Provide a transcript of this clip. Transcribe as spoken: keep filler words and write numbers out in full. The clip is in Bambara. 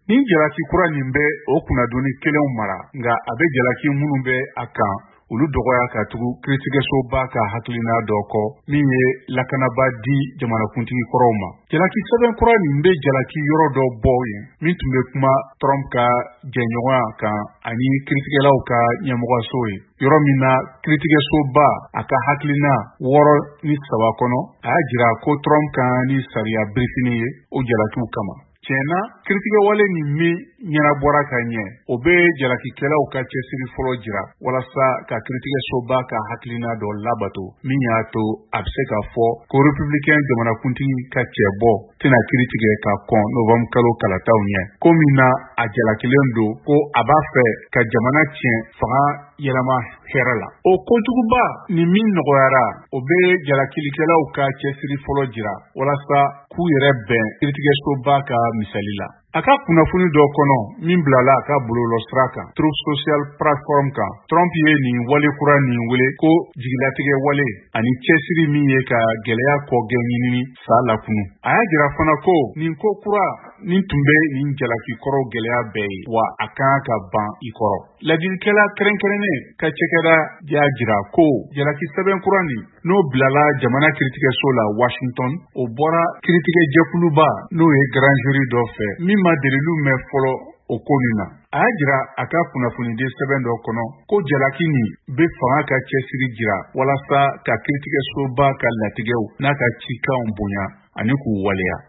Nin jalaki kura nin bɛ o kunnadoni kelenw mara, nka a bɛ jalaki minnu bɛ a kan, olu dɔgɔya ka tugu kiiritigɛsoba ka hakilina dɔ kɔ min ye lakanaba di jamanakuntigi kɔrɔw ma. Jalaki sɛbɛn kura nin bɛ jalaki yɔrɔ dɔ bɔ yen min tun bɛ kuma Trump ka jɛɲɔgɔnya kan ani kiiritigɛlaw ka ɲɛmɔgɔso ye, yɔrɔ min na kiiritigɛsoba a ka hakilina wɔɔrɔ ni saba kɔnɔ, a y'a jira ko Trump ka ni sariya birifini ye o jalakiw kama. Tiɲɛna, kiiritigɛwale nin min ɲɛnabɔra ka ɲɛ, o bɛ jalakikɛlaw ka cɛsiri fɔlɔ jira walasa ka kiiritigɛsoba ka hakilina dɔ labato min y'a to a bɛ se ka fɔ ko républicain jamanakuntigi ka cɛbɔ tɛna kiiri tigɛ ka kɔn novembre kalo kalataw ɲɛ, ko min na a jalakilen don ko a b'a fɛ ka jamana tiɲɛ fanga yɛlɛma hɛrɛ la. O kojuguba nin min nɔgɔyara, o bɛ jalakilikɛlaw ka cɛsiri fɔlɔ jira walasa k'u yɛrɛ bɛn kiiritigɛsoba ka misali la. A ka kunnafoni dɔ kɔnɔ min bilala a ka bɔlɔlɔsira kan, Truth Social platform kan, Trump ye nin wale kura nin wele ko jigilatigɛ wale ani cɛsiri min ye ka gɛlɛya kɔgɛn ɲinini sa lakunu. A y'a jira fana ko nin ko kura nin tun bɛ nin jalaki kɔrɔw gɛlɛya bɛɛ ye, wa a kan ka ban i kɔrɔ. Ladilikɛla kɛrɛnkɛrɛnnen ka cakɛda y'a jira ko jalaki sɛbɛn kura nin, n'o bilala jamana kiiritigɛso la Washington, o bɔra kiiritigɛjɛkuluba n'o ye grand jury dɔ fɛ min ma delilu mɛn fɔlɔ o ko nin na. A y'a jira a ka kunnafonidi sɛbɛn dɔ kɔnɔ ko jalaki nin bɛ fanga ka cɛsiri jira walasa ka kiiritigɛsoba ka latigɛw n'a ka cikanw bonya ani k'u waleya.